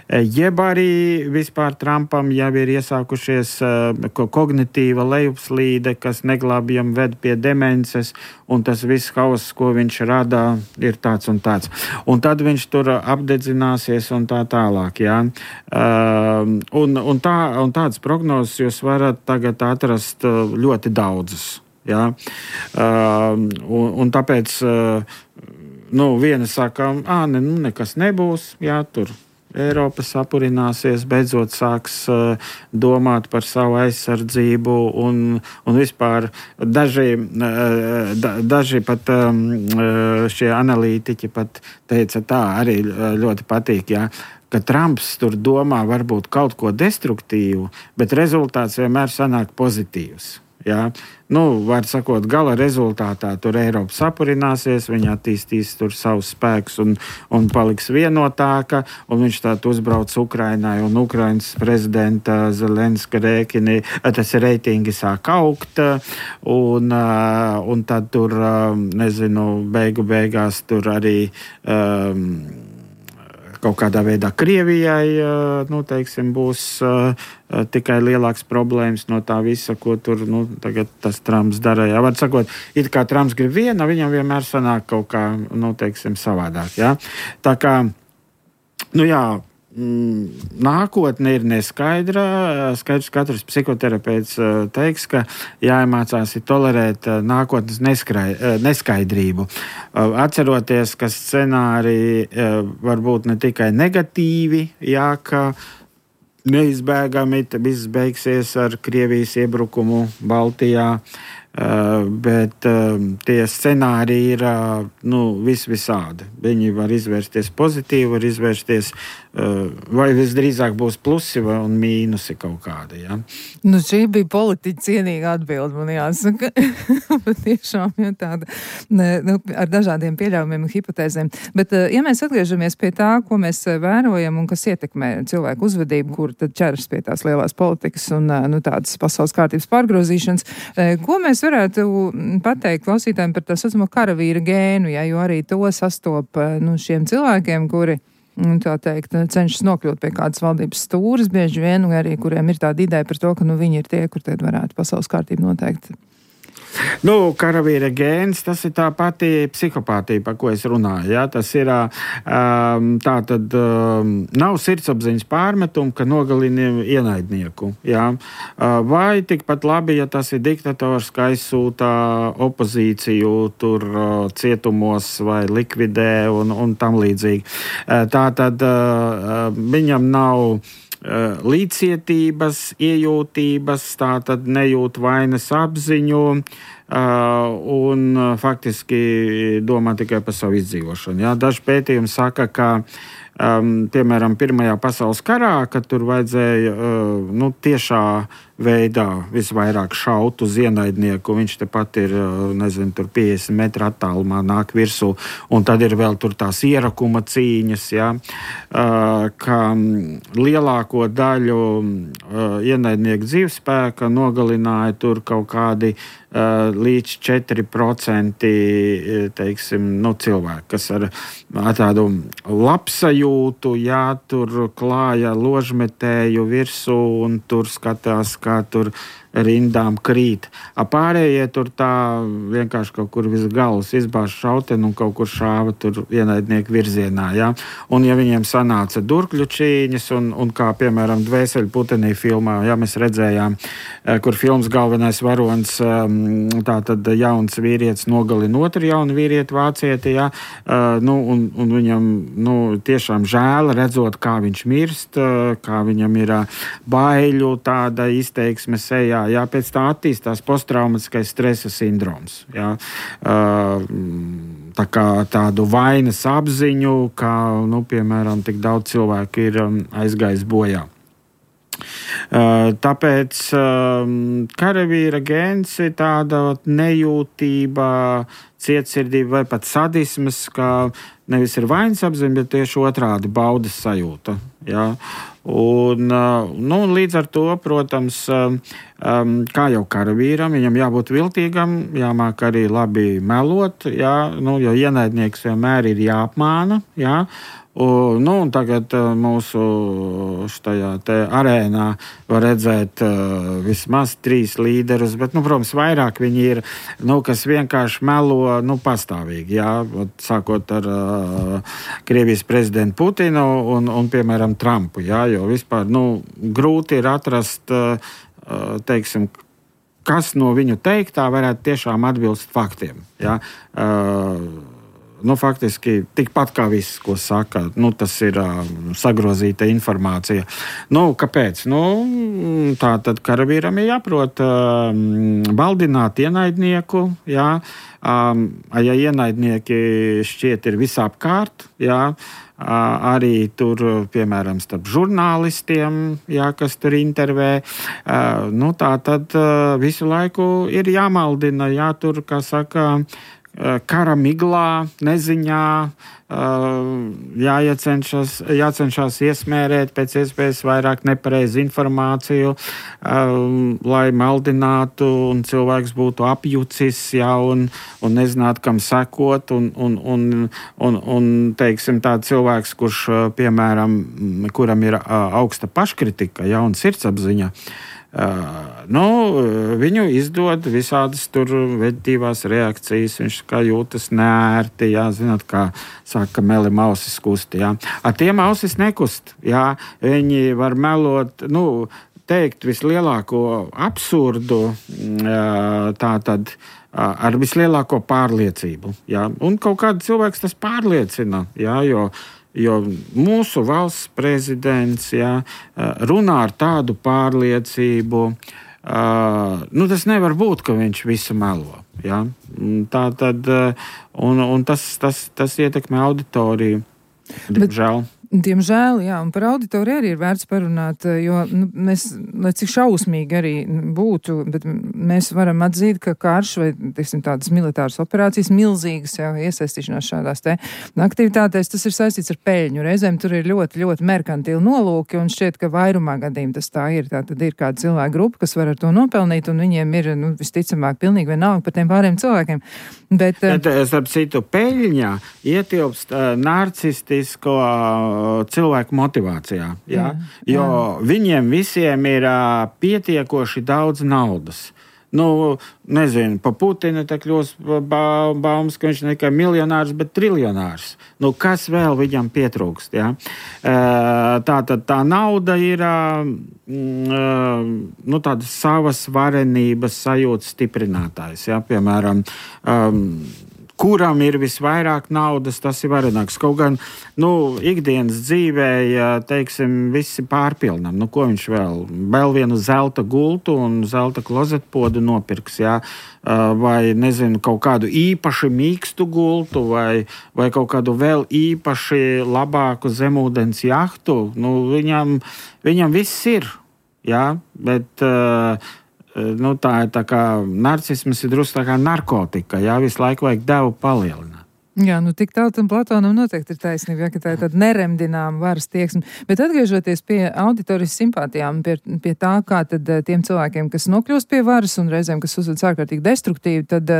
Uh, jeb arī vispār Trumpam jau ir iesākušies uh, kognitīva lejupslīde, kas neglābjam ved pie demences, un tas viss hauss, ko viņš rada, ir tāds un tāds. Un tad viņš tur apdedzināsies un tā tālāk, jā. Uh, un, un, tā, un tādas prognozes jūs varat tagad atrast ļoti daudzas, jā. Uh, un, un tāpēc, uh, nu, viena saka, ā, ne, nu, nekas nebūs, jā, tur Eiropa sapurināsies, beidzot sāks uh, domāt par savu aizsardzību un, un vispār daži, uh, da, daži pat um, šie analītiķi pat teica tā, arī ļoti patīk, jā, ka Trumps tur domā varbūt kaut ko destruktīvu, bet rezultāts vienmēr sanāk pozitīvs. Jā. Nu, var sakot, gala rezultātā tur Eiropa sapurināsies, viņa attīstīs tur savus spēkus un, un paliks vienotāka, un viņš tātad uzbrauc Ukrainai, un Ukrainas prezidenta Zelenska rēķini, tas reitingi sāk augt, un, un tad tur, nezinu, beigu beigās tur arī um, kaut kādā veidā Krievijai, nu, teiksim, būs uh, tikai lielāks problēmas no tā visa, ko tur, nu, tagad tas Trumps dara. Jā, var sakot, it kā Trumps grib viena, viņam vienmēr sanāk kaut kā, nu, teiksim, savādāk, jā. Tā kā, nu, jā, mm, nākotne ir neskaidra. Skaidrs, katrs psihoterapeits teiks, ka jāiemācās tolerēt nākotnes neskaidrību. Atceroties, ka scenāriji var būt ne tikai negatīvi, jā, ka neizbēgami viss beigsies ar Krievijas iebrukumu Baltijā, bet tie scenāriji ir, nu, vis visādi. Viņi var izvērsties pozitīvi, var izvērsties, vai visdrīzāk būs plusi vai un mīnusi kaut kādi, ja? Nu, šī bija politiķa cienīga atbilde, man jāsaka. Tiešām, ja tāda, nu, ar dažādiem pieļaujumiem un hipotēzēm. Bet, ja mēs atgriežamies pie tā, ko mēs vērojam un kas ietekmē cilvēku uzvedību, kur tad ķeras pie tās lielās politikas un, nu, tādas pasaules kārtības pārgrozīšanas, ko mēs varētu pateikt klausītājiem par tā saucamo karavīra gēnu, ja, jo arī to sastop, nu, šiem cilvēkiem, kuri, tā teikt, cenšas nokļūt pie kādas valdības stūras bieži vien, arī kuriem ir tāda ideja par to, ka, nu, viņi ir tie, kur tad varētu pasaules kārtību noteikt. Nu, karavīra gēns, tas ir tā pati psihopātija, par ko es runāju. Ja? Tas ir um, tā tad um, nav sirdsapziņas pārmetumu, ka nogalini ienaidnieku. Ja? Uh, vai tikpat labi, ja tas ir diktators, ka aizsūta opozīciju tur uh, cietumos vai likvidē un, un tam līdzīgi. Uh, tā tad uh, viņam nav līdzcietības, iejūtības, tā tad nejūt vainas apziņu un faktiski domā tikai par savu izdzīvošanu. Jā, daži pētījumi saka, ka um, piemēram Pirmajā pasaules karā, kad tur vajadzēja uh, nu, tiešā veidā visvairāk šaut uz ienaidnieku, viņš tepat ir, nezinu, tur piecdesmit metru attālumā nāk virsū, un tad ir vēl tur tās ierakuma cīņas, ja, ka lielāko daļu ienaidnieku dzīvespēka nogalināja tur kaut kādi līdz četri procenti, teiksim, nu, cilvēki, kas ar, ar tādu labsajūtu nejūtu, jā, tur klāja ložmetēju virsū un tur skatās, kā tur rindām krīt. A pārējie tur tā vienkārši kaut kur virs galvas izbāž šauteni un kaut kur šāva tur ienaidnieku virzienā, jā. Un ja viņiem sanāca durkļu čīņas un, un kā, piemēram, Dvēseļu putenī filmā, jā, mēs redzējām, kur filmas galvenais varonis, tā tad jauns vīrietis nogalina otru jaunu vīrieti vācieti, jā, nu, un, un viņam, nu, tiešām žēl redzot, kā viņš mirst, kā viņam ir baiļu tāda izteiksme sejā, jā, pēc tā attīstās posttraumatiskais stresa sindroms, jā, tā kā tādu vainas apziņu, kā, nu, piemēram, tik daudz cilvēku ir aizgājis bojā. Tāpēc karavīra gēns ir tāda nejūtība, cietsirdība vai pat sadismas, kā nevis ir vainas apziņa, bet tieši otrādi baudas sajūta, jā. Un, nu, līdz ar to, protams, kā jau karavīram, viņam jābūt viltīgam, jāmāk arī labi melot, jā, nu, jo ienaidnieks vienmēr ir jāapmāna, jā. Un, nu, un tagad mūsu štajā te arēnā var redzēt uh, vismaz trīs līderus, bet, nu, protams, vairāk viņi ir, nu, kas vienkārši melo, nu, pastāvīgi, jā, sākot ar uh, Krievijas prezidentu Putinu un, un, piemēram, Trumpu, jā, jo vispār, nu, grūti ir atrast, uh, teiksim, kas no viņu teiktā varētu tiešām atbilst faktiem, jā. Uh, Nu, faktiski tikpat kā viss, ko saka, nu, tas ir uh, sagrozīta informācija. Nu, kāpēc? Nu, tā tad karavīram ir jāprot uh, valdināt ienaidnieku, jā. Um, ja ienaidnieki šķiet ir visapkārt, jā, uh, arī tur, piemēram, starp žurnālistiem, jā, kas tur intervē, uh, nu, tā tad uh, visu laiku ir jāmaldina, jā, tur, kā saka, kara miglā, neziņā, jāiecenšas, jācenšas iesmērēt pēc iespējas vairāk nepareizu informāciju, lai maldinātu un cilvēks būtu apjucis, jā, un, un nezinātu, kam sekot, un, un, un, un, un teiksim, tāds cilvēks, kurš, piemēram, kuram ir augsta paškritika, jā, un sirdsapziņa, Uh, nu, viņu izdod visādas tur veģetīvās reakcijas, viņš kā jūtas neērti, jā, zināt, kā saka, melim ausis kusti, jā. Ar tiem ausis nekust, jā, viņi var melot, nu, teikt vislielāko absurdu, tā tad ar vislielāko pārliecību, jā, un kaut kādu cilvēks tas pārliecina, jā, jo Jo mūsu valsts prezidents, jā, runā ar tādu pārliecību, nu, tas nevar būt, ka viņš visu melo. Jā. Tā tad, un, un tas, tas, tas ietekmē auditoriju. Diemžēl. Diemžēl, jā, un par auditoriju arī ir vērts parunāt, jo, nu, mēs, lai cik šausmīgi arī būtu, bet mēs varam atzīt, ka karš vai, teiksim, tādas militāras operācijas, milzīgas, jā, iesaistīšanās šādās te aktivitātēs, tas ir saistīts ar peļņu. Reizēm tur ir ļoti, ļoti merkantili nolūki, un šķiet, ka vairumā gadījumā tas tā ir. Tā tad ir kāda cilvēka grupa, kas var ar to nopelnīt, un viņiem ir, nu, visticamāk, pilnīgi vienalga par tiem pārējiem cilvēkiem. Bet, bet starp citu, peļņā ietilpst uh, narcistisko cilvēku motivācijā, jā? Jā, jo jā. Viņiem visiem ir uh, pietiekoši daudz naudas. Nu, nezinu, pa Putinu tā kļūst ba baumas, ka viņš ne tikai miljonārs, bet triljonārs. Nu, kas vēl viņam pietrūkst, jā? Uh, tā tad tā nauda ir uh, uh, nu, tāda savas varenības sajūtas stiprinātājs, jā? Piemēram, um, kuram ir visvairāk naudas, tas ir varenāks. Kaut gan, nu, ikdienas dzīvē, teiksim, visi pārpilnam. Nu, ko viņš vēl? Vēl vienu zelta gultu un zelta klozetpodu nopirks, jā? Vai, nezinu, kaut kādu īpaši mīkstu gultu vai, vai kaut kādu vēl īpaši labāku zemūdens jahtu. Nu, viņam, viņam viss ir, jā? Bet... Uh, Nu, tā ir tā kā narcisms ir drusku tā kā narkotika, jā, visu laiku vajag devu palielināt. Jā, nu tik tālu tam Platonam noteikti ir taisnība, ja, ka tā ir tāda neremdināma varas tieksme. Bet atgriežoties pie auditorijas simpātijām, pie, pie tā, kā tad tiem cilvēkiem, kas nokļūst pie varas un reizēm, kas uzvedas ārkārtīgi destruktīvi, tad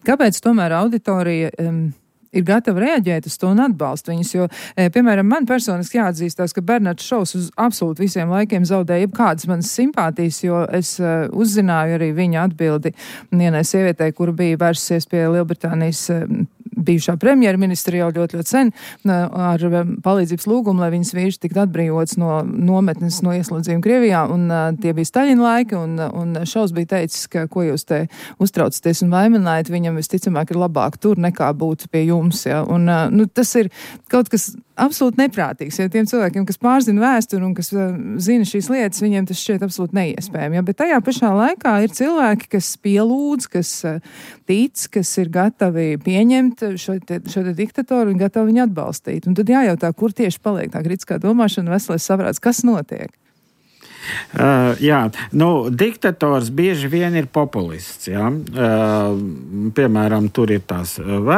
kāpēc tomēr auditorija um, ir gatava reaģēt uz to un atbalsta viņus, jo, piemēram, man personiski jāatzīstās, ka Bernards Šovs uz absolūti visiem laikiem zaudēja jebkādas manas simpātijas, jo es uh, uzzināju arī viņa atbildi vienai sievietei, kura bija vērsusies pie Lielbritānijas uh, bijušā premjerministra jau ļoti, ļoti sen ar palīdzības lūgumu, lai viņas vīrs tiktu atbrīvots no nometnes, no ieslodzījuma Krievijā, un uh, tie bija Staļina laiki, un, un Šovs bija teicis, ka ko jūs te uztraucaties un vaiminājat, viņam visticamāk ir labāk tur nekā būt pie jums, ja, un uh, nu, tas ir kaut kas absolūti neprātīgs, ja tiem cilvēkiem, kas pārzina vēsturi un kas uh, zina šīs lietas, viņiem tas šķiet absolūti neiespējami, ja, bet tajā pašā laikā ir cilvēki, kas pielūdz, kas uh, tic, kas ir gatavi pieņemt šo te, šo te diktatoru un gatavi viņu atbalstīt. Un tad jājautā, kur tieši paliek tā kritiskā domāšana, veselais saprāts, kas notiek? Uh, jā, nu, diktators bieži vien ir populists, jā. Uh, piemēram, tur ir tās ve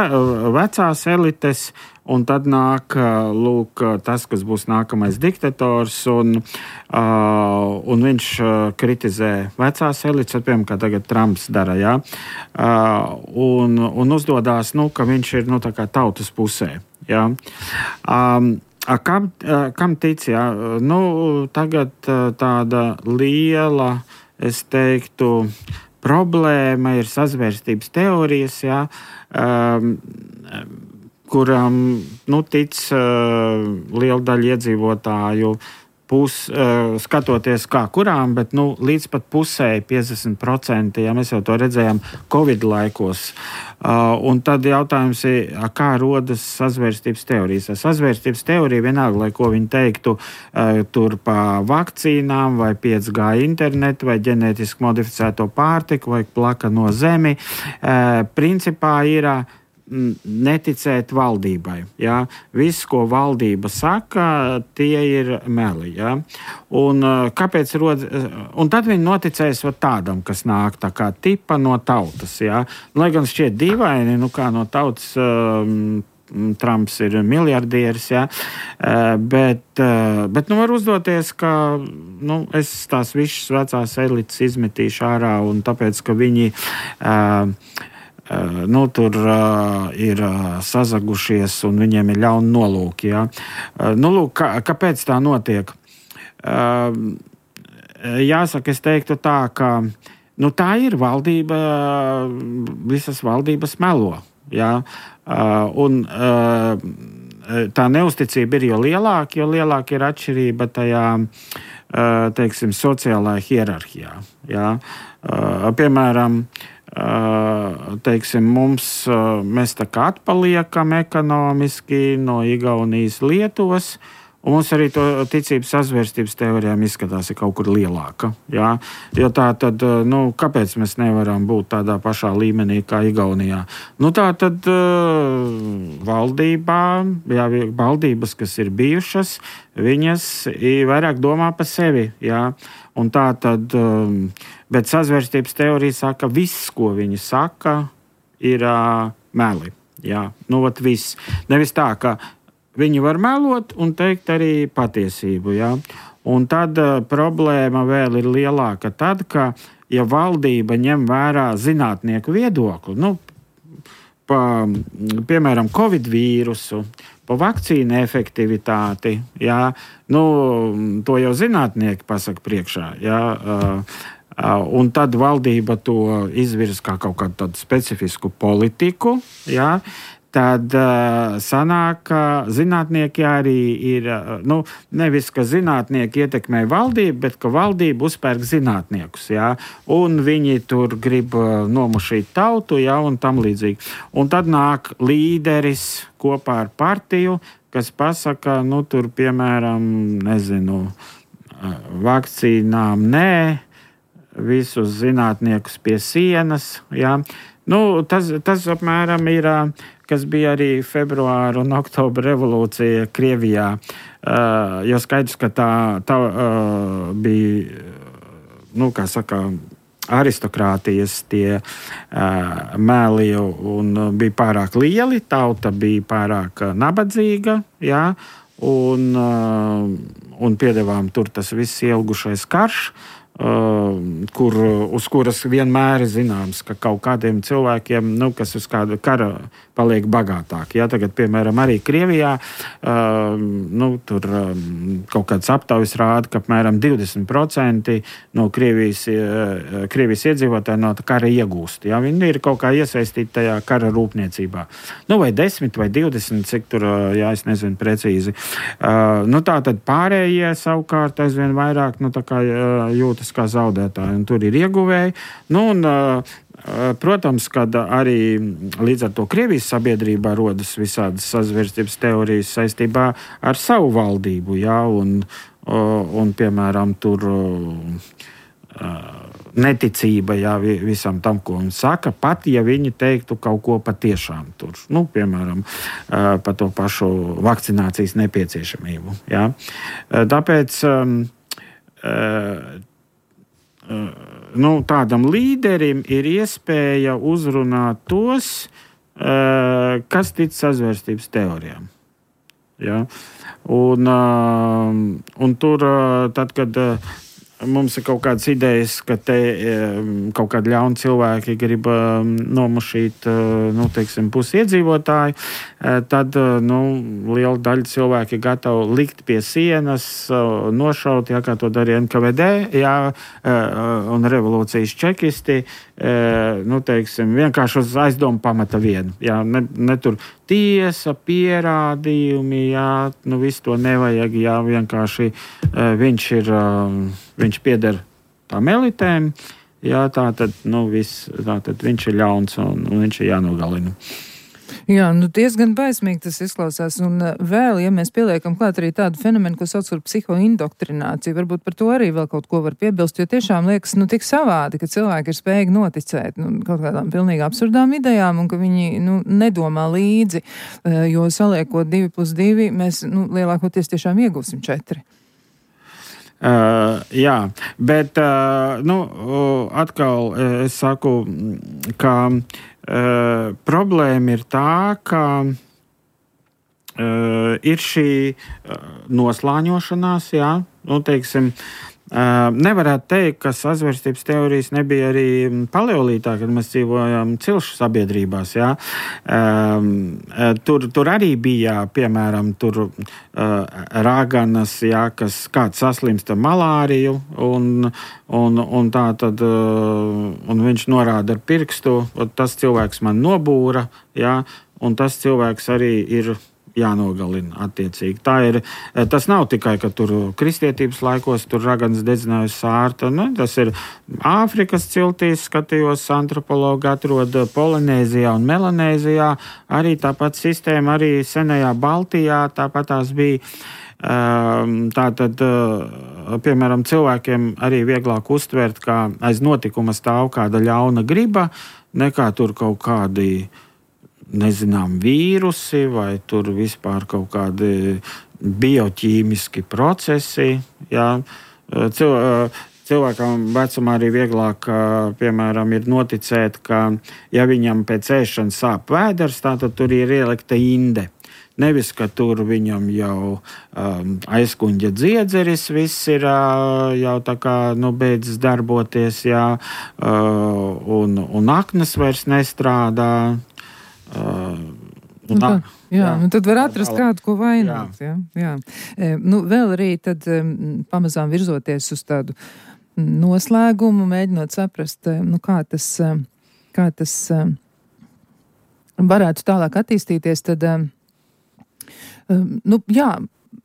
vecās elites, un tad nāk, lūk, tas, kas būs nākamais diktators, un, uh, un viņš kritizē vecās elites, piemēram, kā tagad Trumps dara, jā, uh, un, un uzdodās, nu, ka viņš ir, nu, tā kā tautas pusē, jā. Um, Kam, kam tic, jā? Nu, tagad tāda liela, es teiktu, problēma ir sazvērstības teorijas, jā, um, kuram, nu, tic uh, liela daļa iedzīvotāju pus, uh, skatoties kā kurām, bet, nu, līdz pat pusē, piecdesmit procenti, ja mēs jau to redzējām Covid laikos. Uh, un tad jautājums ir, kā rodas sazvērstības teorijas. Sazvērstības teorija vienalga, lai ko viņi teiktu, uh, tur pa vakcīnām vai pieci G internetu vai ģenētiski modificēto pārtiku vai plaka no zemi, uh, principā ir neticēt valdībai. Ja? Viss, ko valdība saka, tie ir meli. Ja? Un, kāpēc rod... un tad viņi noticēs tādam, kas nāk tā kā tipa no tautas. Ja? Lai gan šķiet dīvaini, nu kā no tautas um, Trumps ir miljardieris, ja? uh, bet, uh, bet nu var uzdoties, ka nu, es tās visas vecās elites izmetīšu ārā, un tāpēc, ka viņi uh, Uh, nu, tur uh, ir uh, sazagušies un viņiem ir ļauni nolūki. Ja? Uh, nu, lūk, kā, kāpēc tā notiek? Uh, jāsaka, es teiktu tā, ka nu, tā ir valdība, visas valdības melo. Ja? Uh, un uh, tā neusticība ir jo lielāka, jo lielāka ir atšķirība tajā, uh, teiksim, sociālajā hierarhijā. Ja? Uh, piemēram, Uh, teiksim, mums, uh, mēs tā kā atpaliekam ekonomiski no Igaunijas, Lietuvas, un mums arī to ticības sazvērstības teorijām izskatās ir kaut kur lielāka. Jā? Jo tā tad, nu, kāpēc mēs nevaram būt tādā pašā līmenī kā Igaunijā? Nu, tā tad uh, valdībā, jā, valdības, kas ir bijušas, viņas vairāk domā par sevi, jā. Un tā tad, um, bet sazvērstības teorija saka, viss, ko viņi saka, ir uh, meli. Jā, nu, vat viss. Nevis tā, ka viņi var melot un teikt arī patiesību, jā. Un tad uh, problēma vēl ir lielāka tad, ka, ja valdība ņem vērā zinātnieku viedokli, nu, pa, piemēram, Covid vīrusu, pa vakcīnu efektivitāti, jā, nu, to jau zinātnieki pasaka priekšā, jā, uh, uh, un tad valdība to izvirza kā kaut kādu tādu specifisku politiku, jā, tad uh, sanāk, ka zinātnieki arī ir, uh, nu, nevis, ka zinātnieki ietekmē valdību, bet ka valdība uzpērk zinātniekus, jā, un viņi tur grib uh, nomušīt tautu, jā, un tam līdzīgi. Un tad nāk līderis kopā ar partiju, kas pasaka, nu, tur, piemēram, nezinu, uh, vakcīnām nē, visus zinātniekus pie sienas, jā. Nu, tas, tas apmēram ir, kas bija arī februāra un oktobra revolūcija Krievijā, uh, jo skaidrs, ka tā, tā uh, bija, nu, kā saka, aristokrātijas tie uh, mēli un bija pārāk lieli, tauta bija pārāk nabadzīga, jā, un, uh, un piedevām tur tas viss ilgušais karš. kur, uz kuras vienmēr ir zināms, ka kaut kādiem cilvēkiem, nu, kas uz kāda kara paliek bagātāki. Ja, tagad, piemēram, arī Krievijā nu, tur kaut kāds aptaujas rāda, ka apmēram divdesmit procenti no Krievijas, Krievijas iedzīvotāji no kara iegūst. Ja, viņi ir kaut kā iesaistīti tajā kara rūpniecībā. Nu, vai desmit vai divdesmit, cik tur, jā, es nezinu precīzi. Nu, tā tad pārējie savukārt aizvien vairāk, nu, tā kā jūtas kā zaudētāji, un tur ir ieguvēji. Nu, un, protams, kad arī līdz ar to Krievijas sabiedrībā rodas visādas sazvērstības teorijas saistībā ar savu valdību, jā, un, un piemēram, tur neticība, jā, visam tam, ko viņi saka, pat ja viņi teiktu kaut ko patiešām tur, nu, piemēram, par to pašu vakcinācijas nepieciešamību, jā. Tāpēc nu, tādam līderim ir iespēja uzrunāt tos, kas tic sazvērstības teorijām. Ja? Un, un tur, tad, kad mums ir kaut kādas idejas, ka te kaut kādi ļauni cilvēki grib nomušīt, nu, teiksim, pusi iedzīvotāji, tad, nu, liela daļa cilvēki ir gatavi likt pie sienas, nošaut, jā, kā to darīja N K V D, jā, un revolūcijas čekisti, nu, teiksim, vienkārši uz aizdomu pamata vienu, jā, ne, ne tur tiesa, pierādījumi, jā, nu, visu to nevajag, jā, vienkārši viņš ir, viņš pieder tām elitēm, jā, tā tad, nu, viss, tā tad viņš ir ļauns un, un viņš ir jānogalina. Jā, nu diezgan baismīgi tas izklausās, un vēl, ja mēs pieliekam klāt arī tādu fenomenu, ko sauc par psihoindoktrināciju, varbūt par to arī vēl kaut ko var piebilst, jo tiešām liekas, nu, tik savādi, ka cilvēki ir spējīgi noticēt, nu, kaut kādām pilnīgi absurdām idejām, un ka viņi, nu, nedomā līdzi, jo saliekot divi plus divi, mēs, nu, lielākoties tiešām iegūsim četri. Uh, jā, bet, uh, nu, atkal es saku, ka Uh, problēma ir tā, ka uh, ir šī uh, noslāņošanās, jā, nu, teiksim, uh, nevarētu teikt, ka sazvērstības teorijas nebija arī paleolītā, kad mēs dzīvojam cilšu sabiedrībās, jā. Um, tur, tur arī bija, piemēram, tur uh, raganas, jā, kas kāds saslimsta malāriju, un Un, un tā tad, un viņš norāda ar pirkstu, tas cilvēks man nobūra, jā, un tas cilvēks arī ir jānogalina attiecīgi. Tā ir, tas nav tikai, ka tur kristietības laikos tur raganas dedzinājusi sārta, nu, tas ir Āfrikas ciltīs, skatījos, antropologi atrod Polinēzijā un Melanēzijā, arī tāpat sistēma, arī senajā Baltijā, tāpat tās bija. Tātad, piemēram, cilvēkiem arī vieglāk uztvert, kā aiz notikuma stāv kāda ļauna griba, nekā tur kaut kādi, nezinām, vīrusi vai tur vispār kaut kādi bioķīmiski procesi. Jā. Cilvēkam vecumā arī vieglāk, piemēram, ir noticēt, ka ja viņam pēc ēšanas sāp vēders, tātad tur ir ielikta inde. Nevis, ka tur viņam jau um, aizkuņģa dziedzeris, viss ir uh, jau tā kā, nu, beidzas darboties, jā, uh, un, un aknas vairs nestrādā. Uh, un, tā, jā, jā, un tad var atrast kādu, ko vainot. Jā. Jā, jā. E, nu, vēl arī tad um, pamazām virzoties uz tādu noslēgumu, mēģinot saprast, nu, kā tas, kā tas um, varētu tālāk attīstīties, tad um, Um, nu, jā,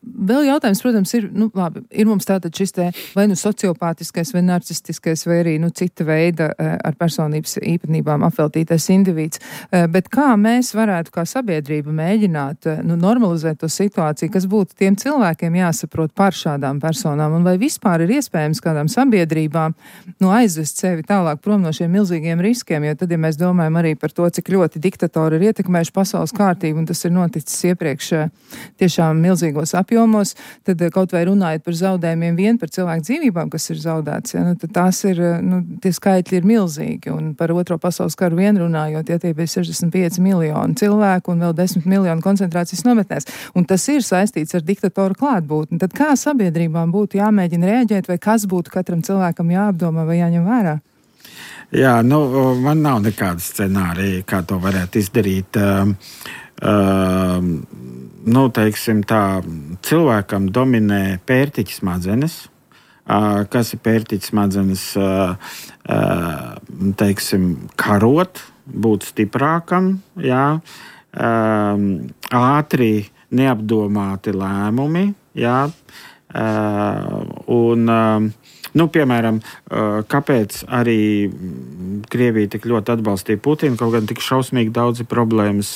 vēl jautājums, protams, ir, nu, labi, ir mums tātad šis te vai nu sociopātiskais, vai narcistiskais, vai arī, nu, cita veida ar personības īpatnībām apveltītais indivīds, bet kā mēs varētu kā sabiedrība mēģināt, nu, normalizēt to situāciju, kas būtu tiem cilvēkiem jāsaprot par šādām personām, un vai vispār ir iespējams kādām sabiedrībām, nu, aizvest sevi tālāk prom no šiem milzīgiem riskiem, jo tad, ja mēs domājam arī par to, cik ļoti diktatori ir ietekmējuši pasaules kārtību, un tas ir noticis iepriekš tiešām milzīgos apjomos, tad kaut vai runājot par zaudējumiem vien par cilvēku dzīvībām, kas ir zaudēts, ja, nu, tad tās ir, nu, tie skaitļi ir milzīgi, un par otro pasaules karu vien runājot, ja tie bija sešdesmit pieci miljoni cilvēku un vēl desmit miljoni koncentrācijas nometnēs, un tas ir saistīts ar diktatoru klātbūtni. Tad kā sabiedrībām būtu jāmēģina rēģēt, vai kas būtu katram cilvēkam jāapdomā vai jāņem vērā? Jā, nu, man nav nekāda scenārija, kā to varētu izdarīt. Uh, uh, nu, teiksim tā, cilvēkam dominē pērtiķa smadzenes. Uh, kas ir pērtiķa smadzenes? Uh, uh, teiksim, karot, būt stiprākam, jā. Uh, ātri, neapdomāti lēmumi, jā. Uh, un... Uh, Nu, piemēram, kāpēc arī Krievija tik ļoti atbalstīja Putinu, kaut gan tik šausmīgi daudzi problēmas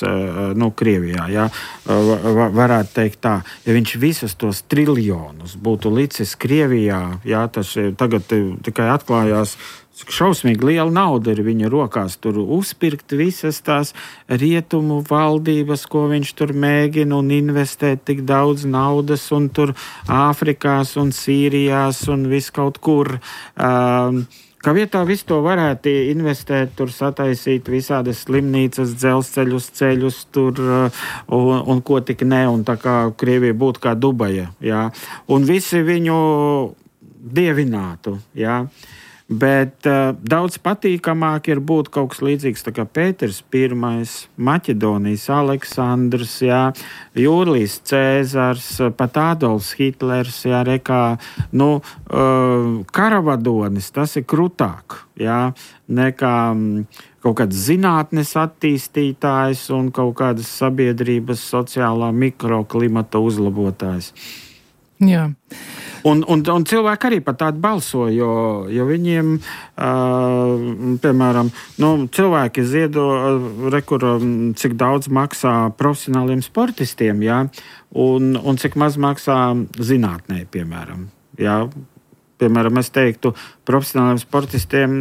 nu, Krievijā. Ja? Varētu teikt tā, ja viņš visus tos triljonus būtu licis Krievijā, ja, tas tagad tikai atklājās, šausmīgi liela nauda ir viņa rokās, tur uzpirkt visas tās rietumu valdības, ko viņš tur mēģina un investēt tik daudz naudas, un tur Āfrikās un Sīrijās un viss kaut kur. Um, Kā vietā visu to varētu investēt, tur sataisīt visādas slimnīcas, dzelzceļus, ceļus, tur un, un ko tik ne, un tā kā Krievija būtu kā Dubaja, jā. Un visi viņu dievinātu, jā. Bet uh, daudz patīkamāk ir būt kaut kas līdzīgs tā kā Pēters Pirmais, Maķedonijas Aleksandrs, jā, Jūlijs Cēzars, pat Adolfs Hitlers, jā, rekā, nu, uh, karavadonis, tas ir krutāk, jā, nekā um, kaut kāds zinātnes attīstītājs un kaut kādas sabiedrības sociālā mikroklimata uzlabotājs. Jā. Un, un, un cilvēki arī pat tādu balso, jo, jo viņiem, uh, piemēram, nu, cilvēki ziedo, rekur, cik daudz maksā profesionāliem sportistiem, jā, un, un cik maz maksā zinātnē, piemēram. Jā. Piemēram, es teiktu, profesionāliem sportistiem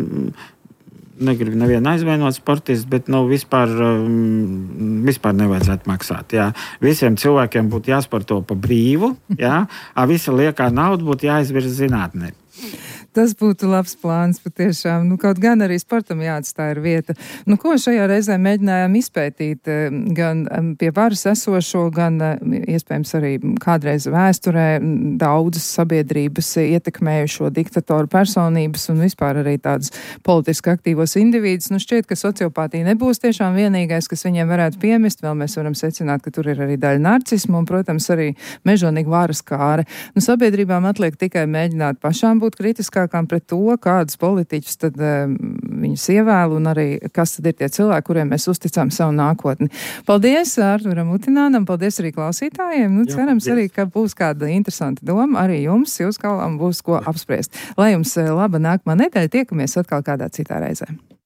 negribu nevienu aizvainot sportistu, bet nu, vispār, um, vispār nevajadzētu maksāt. Jā. Visiem cilvēkiem būtu jāsporto pa brīvu, jā, a visa liekā nauda būtu jāizvirza zinātnē. Tas būtu labs plāns patiešām. Nu, kaut gan arī sportam jāatstāj ir vieta. Nu, ko šajā reizē mēģinājām izpētīt gan pie varas esošo, gan iespējams arī kādreiz vēsturē daudzas sabiedrības ietekmējušo diktatoru personības un vispār arī tādas politiski aktīvos individus. Nu, šķiet, ka sociopātija nebūs tiešām vienīgais, kas viņiem varētu piemest. Vēl mēs varam secināt, ka tur ir arī daļa narcismu un, protams, arī mežonīga varas kāre. Nu, sabiedrībām atliek tikai mēģināt pašām būt kritiskā pret to, kādus politiķus tad um, viņus ievēl un arī kas tad ir tie cilvēki, kuriem mēs uzticām savu nākotni. Paldies Arturam Utinānam, paldies arī klausītājiem. Nu, cerams arī, ka būs kāda interesanta doma arī jums, jūs kalām būs ko apspriest. Lai jums laba nākamā nedēļa, tiekamies atkal kādā citā reizē.